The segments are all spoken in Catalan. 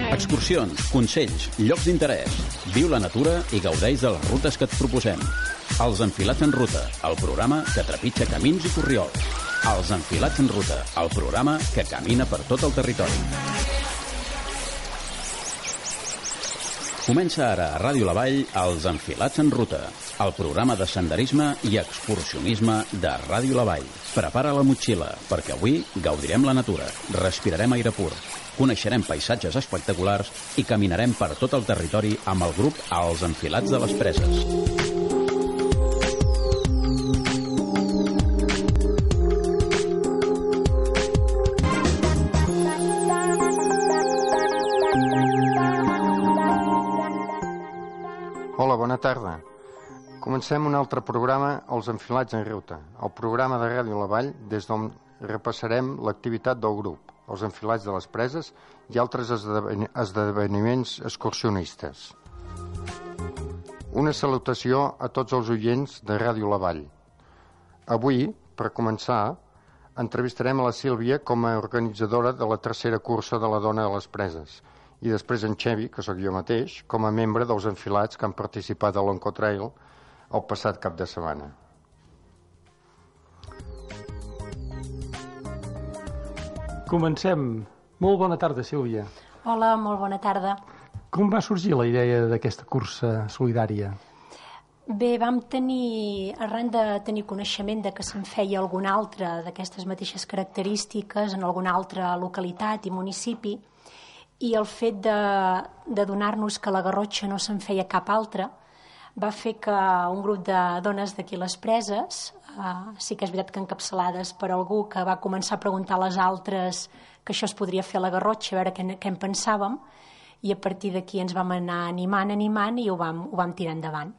Excursions, consells, llocs d'interès. Viu la natura i gaudeix de les rutes que et proposem. Els Enfilats en Ruta, el programa que trepitja camins i corriols. Els Enfilats en Ruta, el programa que camina per tot el territori. Comença ara a Ràdio La Vall Els Enfilats en Ruta, el programa de senderisme i excursionisme de Ràdio La Vall. Prepara la motxilla, perquè avui gaudirem la natura, respirarem aire pur, coneixerem paisatges espectaculars i caminarem per tot el territori amb el grup Els Enfilats de les Preses. Hola, bona tarda. Comencem un altre programa, Els Enfilats en Ruta, el programa de Ràdio La Vall des d'on repassarem l'activitat del grup, Els Enfilats de les Preses i altres esdeveniments excursionistes. Una salutació a tots els oients de Ràdio La Vall. Avui, per començar, entrevistarem a la Sílvia com a organitzadora de la tercera cursa de la Dona de les Preses i després en Xevi, que sóc jo mateix, com a membre dels Enfilats que han participat a l'Oncotrail el passat cap de setmana. Comencem. Molt bona tarda, Sílvia. Hola, molt bona tarda. Com va sorgir la idea d'aquesta cursa solidària? Bé, arran de tenir coneixement de que se'n feia algun altre d'aquestes mateixes característiques en alguna altra localitat i municipi, i el fet de donar-nos que a la Garrotxa no se'n feia cap altra va fer que un grup de dones d'aquí les Preses, sí que és veritat que encapçalades per algú que va començar a preguntar a les altres que això es podria fer a la Garrotxa, a veure què en pensàvem, i a partir d'aquí ens vam anar animant i ho vam tirar endavant.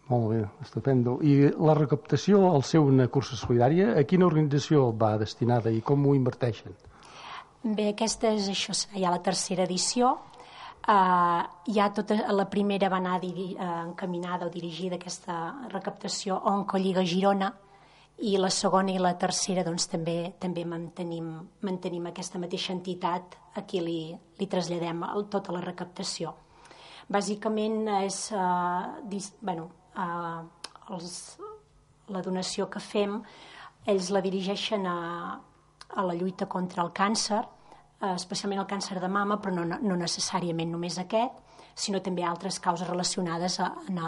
Molt bé, estupendo. I la recaptació, al ser una cursa solidària, a quina organització va destinada i com ho inverteixen? Bé, aquesta és ja la tercera edició. La primera va anar encaminada o dirigida aquesta recaptació a Oncolliga Girona i la segona i la tercera doncs, també mantenim aquesta mateixa entitat a qui li traslladem tota la recaptació. Bàsicament és la donació que fem, ells la dirigeixen a la lluita contra el càncer, especialment el càncer de mama, però no necessàriament només aquest, sinó també altres causes relacionades amb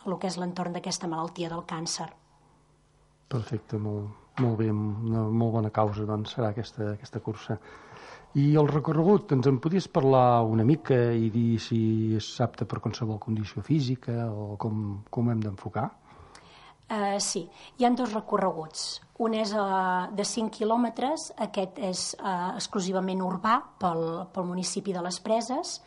el que és l'entorn d'aquesta malaltia del càncer. Perfecte, molt bé, una molt bona causa doncs, serà aquesta cursa. I el recorregut, ens en podies parlar una mica i dir si és apte per qualsevol condició física o com hem d'enfocar? Sí, hi ha dos recorreguts. Un és de 5 quilòmetres, aquest és exclusivament urbà pel municipi de les Preses,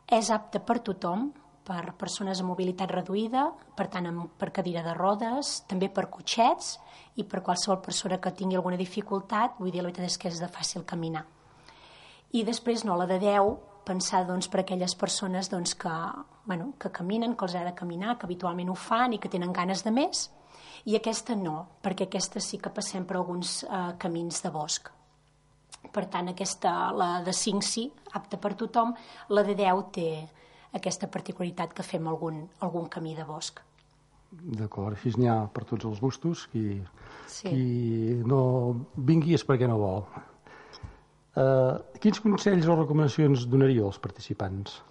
és apte per tothom, per persones amb mobilitat reduïda, per tant per cadira de rodes, també per cotxets i per qualsevol persona que tingui alguna dificultat, vull dir, la veritat és que és de fàcil caminar. I després la de 10, pensar per aquelles persones que caminen, que els ha de caminar, que habitualment ho fan i que tenen ganes de més, i aquesta no, perquè aquesta sí que passem per alguns camins de bosc. Per tant, la de 5 sí, apta per tothom, la de 10 té aquesta particularitat que fem algun camí de bosc. D'acord, així n'hi ha per tots els gustos, qui no vingui és perquè no vol. Quins consells o recomanacions donaríeu als participants?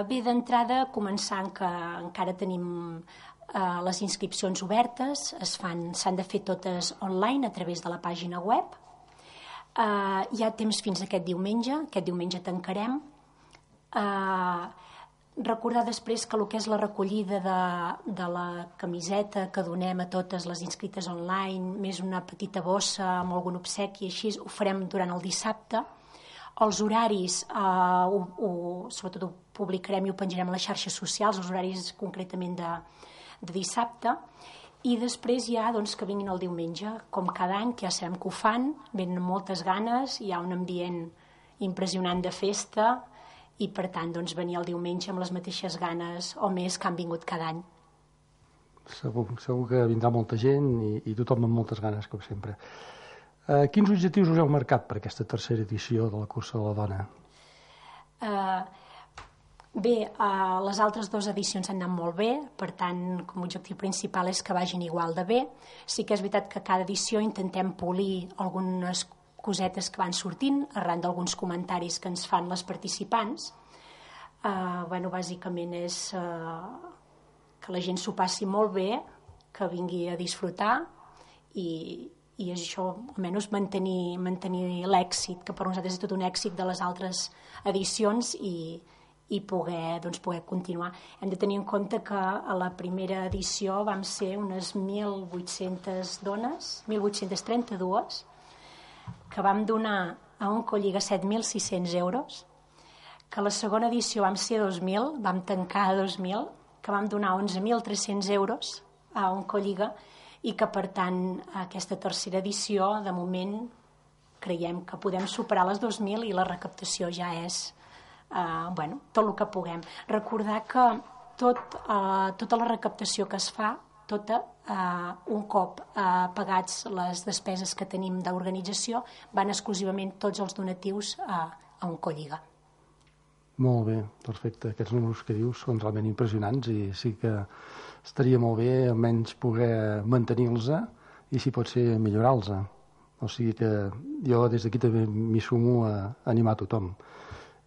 Bé, d'entrada, començant que encara tenim les inscripcions obertes, s'han de fer totes online a través de la pàgina web. Hi ha temps fins aquest diumenge tancarem. Recordar després que el que és la recollida de la camiseta que donem a totes les inscrites online, més una petita bossa amb algun obsequi, així ho farem durant el dissabte. Els horaris, sobretot ho publicarem i ho penjarem a les xarxes socials, els horaris concretament de dissabte, i després ja que vinguin el diumenge, com cada any, que ja sabem que ho fan, venen amb moltes ganes, hi ha un ambient impressionant de festa, i per tant venir el diumenge amb les mateixes ganes o més que han vingut cada any. Segur que vindrà molta gent i tothom amb moltes ganes, com sempre. Quins objectius us heu marcat per aquesta tercera edició de la Cursa de la Dona? Bé, les altres 2 edicions han anat molt bé, per tant, com a objectiu principal és que vagin igual de bé. Sí que és veritat que cada edició intentem polir algunes cosetes que van sortint arran d'alguns comentaris que ens fan les participants. Bàsicament és que la gent s'ho passi molt bé, que vingui a disfrutar i això, almenys mantenir l'èxit, que per nosaltres és tot un èxit de les altres edicions i poder continuar. Hem de tenir en compte que a la primera edició vam ser unes 1.800 dones, 1.832, que vam donar a Oncolliga 7.600 euros, que a la segona edició vam ser 2.000, vam tancar a 2.000, que vam donar 11.300 euros a Oncolliga i que, per tant, aquesta tercera edició, de moment, creiem que podem superar les 2.000 i la recaptació ja és tot el que puguem. Recordar que tota la recaptació que es fa, un cop pagats les despeses que tenim d'organització, van exclusivament tots els donatius a Oncolliga. Molt bé, perfecte. Aquests números que dius són realment impressionants i sí que estaria molt bé almenys poder mantenir-los i, si pot ser, millorar-los. O sigui que jo des d'aquí també m'hi sumo a animar tothom.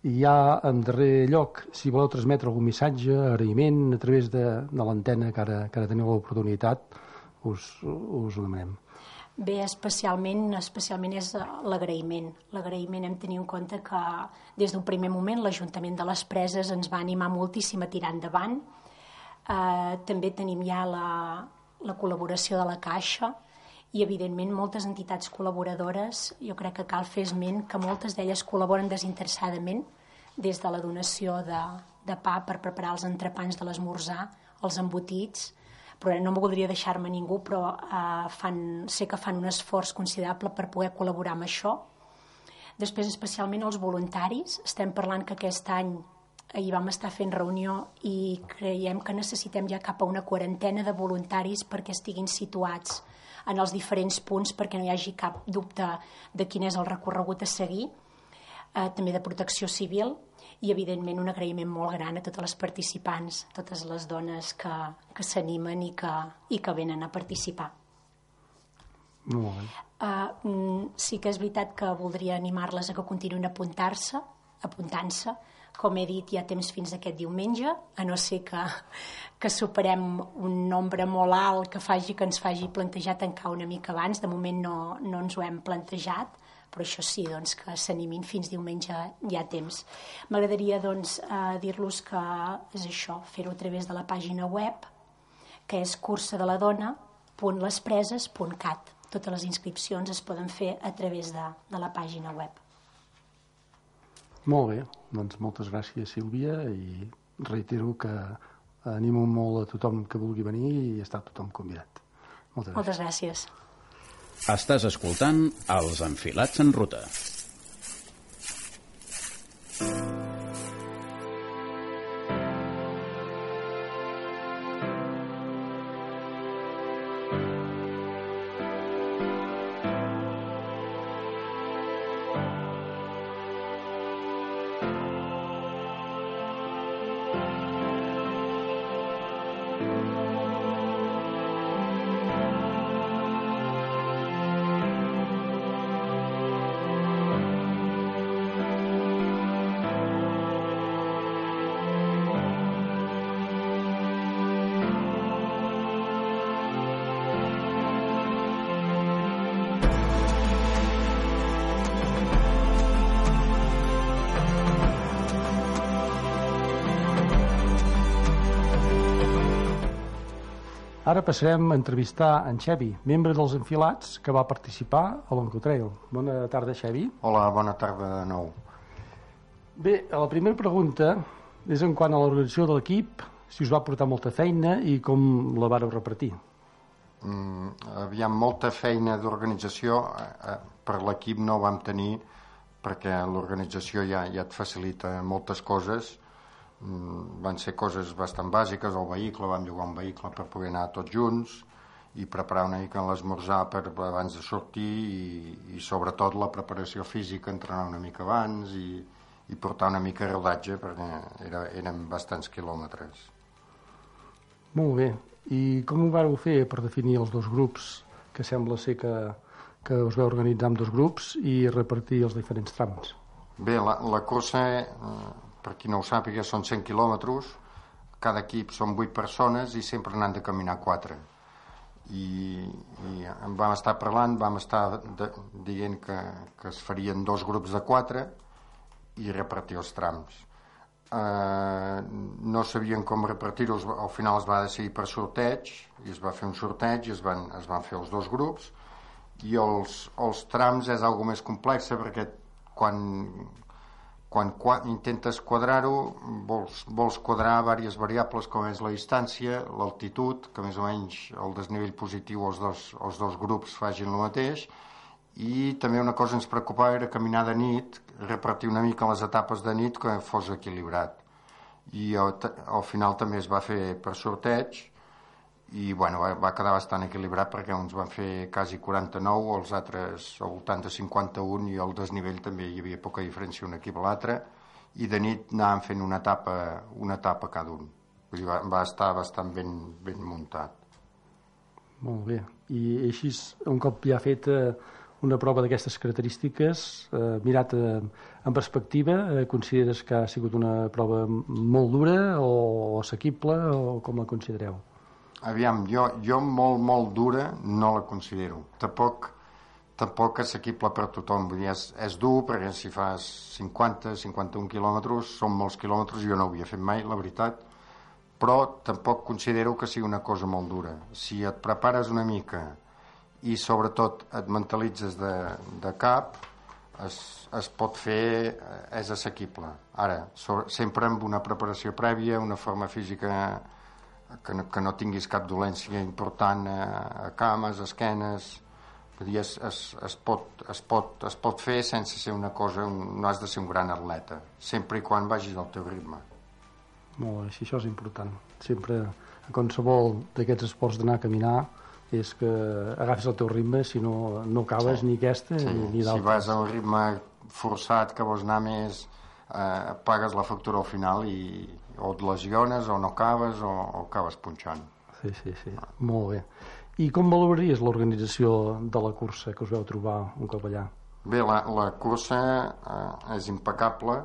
I ja, en darrer lloc, si voleu transmetre algun missatge, agraïment, a través de l'antena que ara teniu l'oportunitat, us ho demanem. Bé, especialment és l'agraïment. L'agraïment, hem de tenir en compte que des d'un primer moment l'Ajuntament de les Preses ens va animar moltíssim a tirar endavant. També tenim ja la col·laboració de la Caixa i, evidentment, moltes entitats col·laboradores. Jo crec que cal fer esment que moltes d'elles col·laboren desinteressadament, des de la donació de pa per preparar els entrepans de l'esmorzar, els embotits, però no me voldria deixar-me ningú, però sé que fan un esforç considerable per poder col·laborar amb això. Després, especialment els voluntaris. Estem parlant que aquest any, ahir vam estar fent reunió i creiem que necessitem ja cap a una 40ena de voluntaris perquè estiguin situats en els diferents punts, perquè no hi hagi cap dubte de quin és el recorregut a seguir, també de protecció civil, i evidentment un agraïment molt gran a totes les participants, totes les dones que s'animen i que venen a participar. Molt bé. Sí que és veritat que voldria animar-les a que continuïn apuntant-se. Com he dit, hi ha temps fins aquest diumenge, a no ser que superem un nombre molt alt que ens faci plantejar tancar una mica abans. De moment no ens ho hem plantejat, però això sí, que s'animin fins diumenge, hi ha temps. M'agradaria dir-los que és això, fer-ho a través de la pàgina web, que és cursadeladona.lespreses.cat. Totes les inscripcions es poden fer a través de la pàgina web. Molt bé, doncs moltes gràcies, Sílvia, i reitero que animo molt a tothom que vulgui venir i està tothom convidat. Moltes gràcies. Estàs escoltant Els Enfilats en Ruta. Ara passarem a entrevistar en Xevi, membre dels Enfilats, que va participar a l'Oncotrail. Bona tarda, Xevi. Hola, bona tarda de nou. Bé, la primera pregunta és en quant a l'organització de l'equip, si us va portar molta feina i com la vareu repartir. Aviam, molta feina d'organització per l'equip no vam tenir, perquè l'organització ja et facilita moltes coses. Van ser coses bastant bàsiques, el vehicle, vam llogar un vehicle per poder anar tots junts i preparar una mica l'esmorzar abans de sortir i sobretot la preparació física, entrenar una mica abans i i portar una mica de rodatge perquè eren bastants quilòmetres. Molt bé. I com ho vareu fer per definir els dos grups, que sembla ser que us veu organitzar en dos grups i repartir els diferents trams? Bé, la cursa, per qui no ho sàpiga, són 100 quilòmetres, cada equip són 8 persones i sempre n'han de caminar 4. I vam estar parlant, vam estar dient que es farien 2 grups de 4 i repartir els trams. No sabien com repartir-los, al final es va decidir per sorteig i es va fer un sorteig i es van fer els 2 grups, i els trams és algo més complex perquè quan intentes quadrar-ho vols quadrar diverses variables com és la distància, l'altitud, que més o menys el desnivell positiu els dos grups facin el mateix, i també una cosa ens preocupava era caminar de nit, repartir una mica les etapes de nit que fos equilibrat, i al final també es va fer per sorteig i bueno, va quedar bastant equilibrat perquè uns van fer quasi 49, els altres al voltant de 51, i al desnivell també hi havia poca diferència un equip a l'altre, i de nit anàvem fent una etapa cada un. Vull dir, va estar bastant ben muntat. Molt bé. I així, un cop ja fet una prova d'aquestes característiques, mirat en perspectiva, consideres que ha sigut una prova molt dura o assequible, o com la considereu? Aviam, jo molt dura no la considero. Tampoc assequible per tothom. Vull dir, és dur perquè si fas 50-51 quilòmetres són molts quilòmetres, jo no ho havia fet mai, la veritat, però tampoc considero que sigui una cosa molt dura. Si et prepares una mica i sobretot et mentalitzes de cap, es pot fer, és assequible. Ara, sempre amb una preparació prèvia, una forma física que no tinguis cap dolència important a cames, esquenes. Vull dir, es pot fer sense ser una cosa, no has de ser un gran atleta, sempre i quan vagis al teu ritme. Molt bé, això és important. Sempre, a qualsevol d'aquests esports d'anar a caminar, és que agafis el teu ritme, si no acabes ni aquesta ni d'altres. Si vas a un ritme forçat que vols anar més, pagues la factura al final i o et lesiones o no acabes o acabes punxant. Sí, molt bé. I com valoraries l'organització de la cursa que us vau trobar un cop allà? Bé, la cursa és impecable,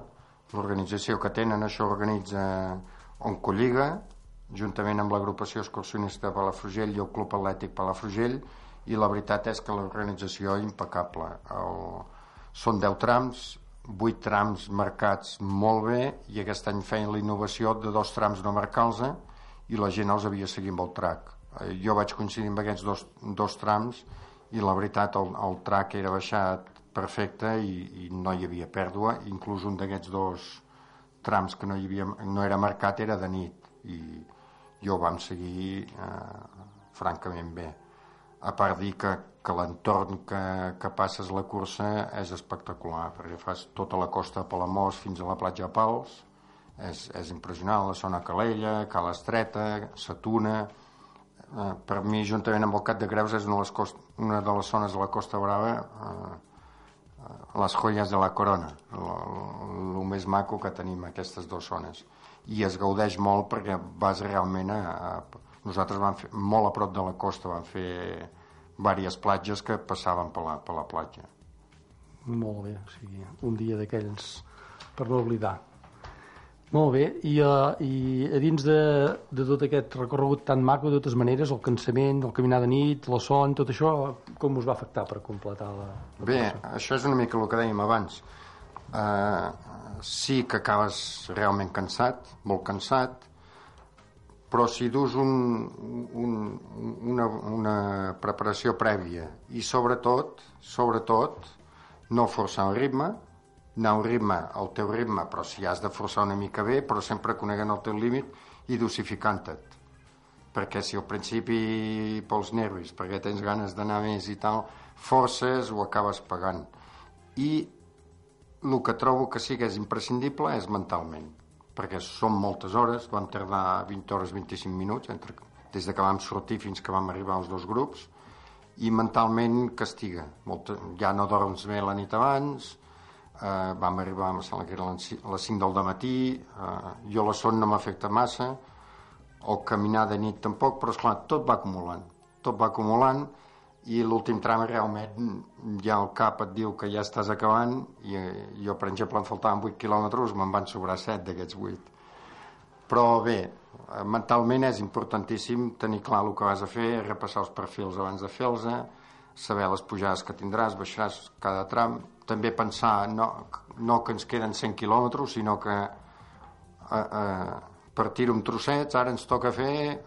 l'organització que tenen, això organitza Oncolliga, juntament amb l'agrupació excursionista de Palafrugell i el Club Atlètic Palafrugell, i la veritat és que l'organització és impecable. Són 10 trams, 8 trams marcats molt bé, i aquest any feien la innovació de 2 trams no marcar-los i la gent els havia seguit amb el track. Jo vaig coincidir amb aquests dos trams i la veritat el track era baixat perfecte i no hi havia pèrdua. Inclús un d'aquests 2 trams que no era marcat era de nit i jo vam seguir francament bé. A part dir que l'entorn que passes la cursa és espectacular, perquè fas tota la costa de Palamós fins a la platja de Pals, és impressionant, la zona Calella, Cala Estreta, Satuna. Per mi, juntament amb el Cap de Creus, és una de les zones de la Costa Brava, les joies de la corona, el més maco que tenim, aquestes 2 zones. I es gaudeix molt perquè vas realment nosaltres vam fer, molt a prop de la costa, vam fer diverses platges que passaven per la platja. Molt bé, o sigui, un dia d'aquells per no oblidar. Molt bé, i a dins de tot aquest recorregut tan maco, de totes maneres, el cansament, el caminar de nit, la son, tot això, com us va afectar per completar la Bé, això és una mica el que dèiem abans. Sí que acabes realment cansat, molt cansat, però si dus una preparació prèvia i sobretot no forçar el ritme, anar al teu ritme, però si has de forçar una mica bé, però sempre conegant el teu límit i dosificant-te't, perquè si al principi pels nervis, perquè tens ganes d'anar més i tal, forces o acabes pagant. I el que trobo que sí que és imprescindible és mentalment, perquè són moltes hores, vam tardar 20 hores 25 minuts des que vam sortir fins que vam arribar als 2 grups, i mentalment castiga. Ja no dorms bé la nit abans, vam arribar, em sembla que era a les 5 del matí, jo la son no m'afecta massa, o caminar de nit tampoc, però esclar, tot va acumulant, i l'últim tram realment ja el cap et diu que ja estàs acabant, i jo, per exemple, em faltaven 8 quilòmetres, me'n van sobrar 7 d'aquests 8. Però bé, mentalment és importantíssim tenir clar el que vas a fer, repassar els perfils abans de fer-los, saber les pujades que tindràs, baixaràs cada tram, també pensar no que ens queden 100 quilòmetres, sinó que partir-ho en trossets, ara ens toca fer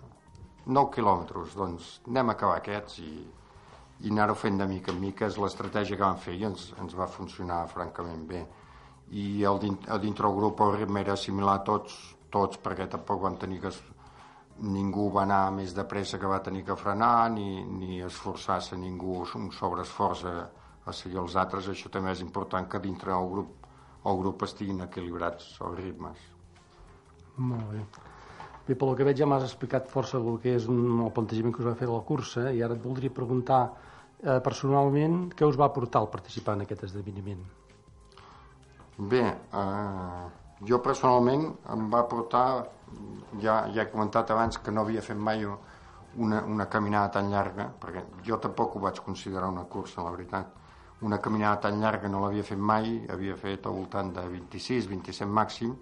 9 quilòmetres, doncs anem a acabar aquests i anar-ho fent de mica en mica, és l'estratègia que vam fer i ens va funcionar francament bé. I dintre el grup el ritme era similar a tots, perquè tampoc vam tenir que... Ningú va anar més de pressa que va tenir que frenar, ni esforçar-se ningú un sobreesforç a seguir els altres. Això també és important, que dintre el grup estiguin equilibrats els ritmes. Molt bé. Bé, pel que veig ja m'has explicat força el que és el plantejament que us va fer de la cursa, i ara et voldria preguntar personalment què us va portar al participar en aquest esdeveniment. Bé, jo personalment em va portar, ja he comentat abans que no havia fet mai una caminada tan llarga, perquè jo tampoc ho vaig considerar una cursa, la veritat. Una caminada tan llarga no l'havia fet mai, havia fet al voltant de 26-27 màxim,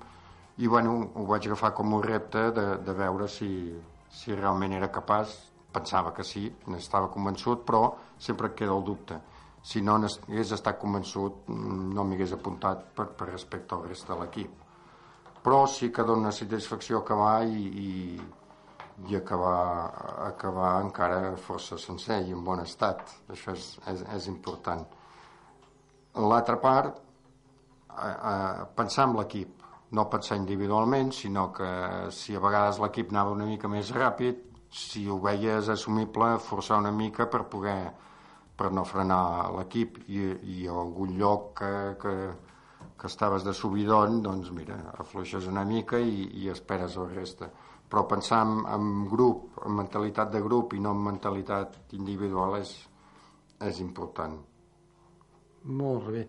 i bueno, ho vaig agafar com un repte de veure si realment era capaç. Pensava que sí, n'estava convençut, però sempre et queda el dubte. Si no n'hagués estat convençut, no m'hi hagués apuntat per respecte al reste de l'equip. Però sí que dona satisfacció acabar i acabar encara força sencer i en bon estat. Això és important. L'altra part, pensar en l'equip, no pensar individualment, sinó que si a vegades l'equip anava una mica més ràpid, si ho veies assumible, forçar una mica per no frenar l'equip, i a algun lloc que estaves de subidon, doncs mira, afluixes una mica i esperes el reste. Però pensar en grup, en mentalitat de grup i no en mentalitat individual és important. Molt bé.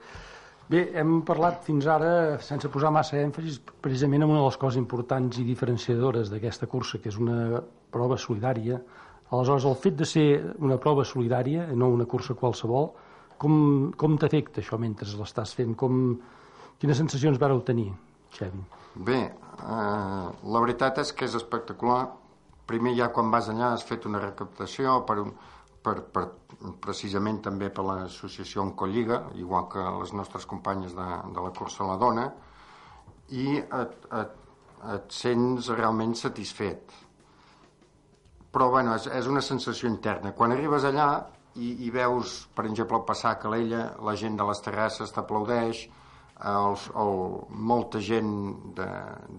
Bé, hem parlat fins ara, sense posar massa èmfasis, precisament en una de les coses importants i diferenciadores d'aquesta cursa, que és una prova solidària. Aleshores, el fet de ser una prova solidària, no una cursa qualsevol, com t'afecta això mentre l'estàs fent? Quines sensacions vareu tenir, Xavi? Bé, la veritat és que és espectacular. Primer, ja quan vas allà has fet una recaptació precisament també per l'associació Oncolliga, igual que les nostres companyes de la cursa La Dona, i et sents realment satisfet. Però bueno, és una sensació interna. Quan arribes allà i veus, per exemple, al passar a Calella, la gent de les terrasses t'aplaudeix, molta gent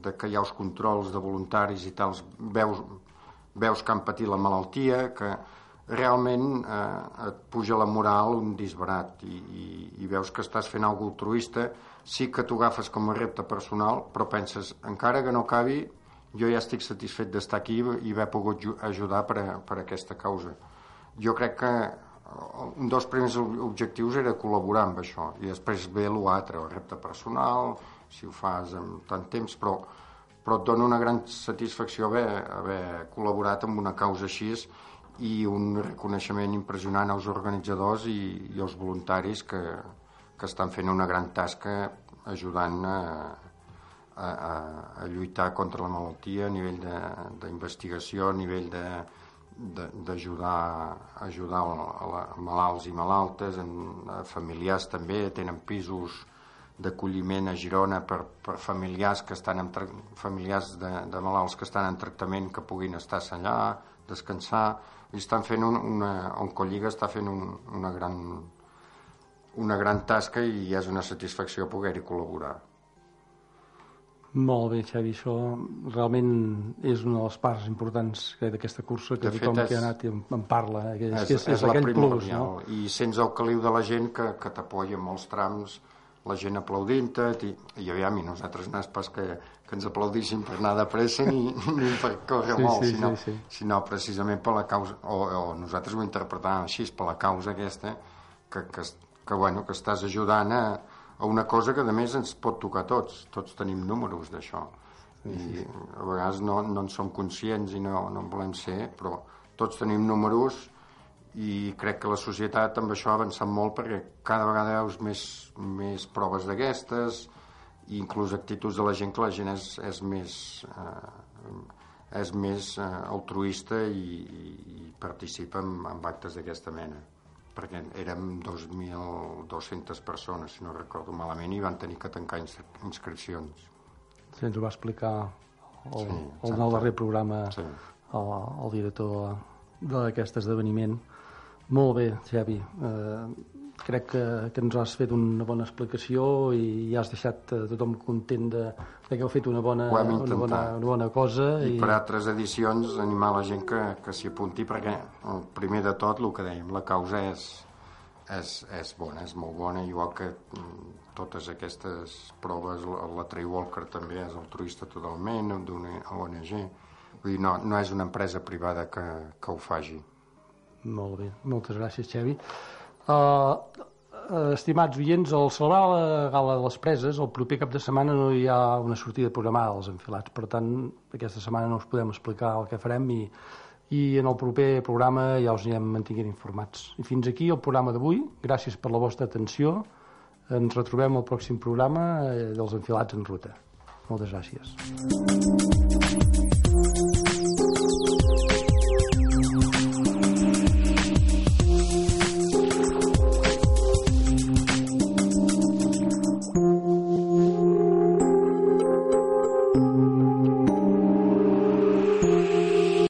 que hi ha els controls de voluntaris i tals, veus que han patit la malaltia, que realment et puja la moral un disbarat, i veus que estàs fent alguna cosa altruista. Sí que t'ho agafes com a repte personal, però penses, encara que no acabi, jo ja estic satisfet d'estar aquí i haver pogut ajudar per aquesta causa. Jo crec que un dels primers objectius era col·laborar amb això, i després ve l'altre, el repte personal, si ho fas en tant temps, però et dona una gran satisfacció haver col·laborat amb una causa així, i un reconeixement impressionant als organitzadors i als voluntaris que estan fent una gran tasca ajudant a lluitar contra la malaltia a nivell d'investigació, a nivell d'ajudar a malalts i malaltes, a familiars també. Tenen pisos d'acolliment a Girona per familiars familiars de malalts que estan en tractament, que puguin estar allà, descansar. I estan fent Oncolliga està fent una gran tasca, i és una satisfacció poder-hi col·laborar. Molt bé, Xavi, això realment és una de les parts importants d'aquesta cursa, que tothom que ha anat en parla, és aquell plus, no? I sents el caliu de la gent que t'apoya en molts trams, la gent aplaudint-te, i aviam, i nosaltres no és pas que ens aplaudissin per anar de pressa ni per córrer molt, sinó precisament per la causa, o nosaltres ho interpretàvem així, per la causa aquesta, que estàs ajudant a una cosa que a més ens pot tocar a tots tenim números d'això i a vegades no en som conscients i no en volem ser, però tots tenim números i crec que la societat amb això ha avançat molt perquè cada vegada veus més proves d'aquestes i inclús actituds de la gent, que la gent és més altruista i participa en actes d'aquesta mena, perquè érem 2.200 persones, si no recordo malament, i van tenir que tancar inscripcions. Sí, ens ho va explicar el darrer programa el director d'aquest esdeveniment. Molt bé, Xavi. Crec que ens has fet una bona explicació i has deixat tothom content de que heu fet una bona cosa. I per altres edicions animar la gent que s'hi apunti, perquè primer de tot, el que dèiem, la causa és bona, és molt bona, igual que totes aquestes proves. La Trey Walker també és altruista totalment, d'una ONG. Vull dir, no és una empresa privada que ho faci. Molt bé, moltes gràcies, Xavi. Estimats oients, al celebrar la Gala de les Preses, el proper cap de setmana no hi ha una sortida programada als enfilats. Per tant, aquesta setmana no us podem explicar el que farem i en el proper programa ja us anirem mantenint informats. I fins aquí el programa d'avui. Gràcies per la vostra atenció. Ens retrobem al pròxim programa dels Enfilats en Ruta. Moltes gràcies.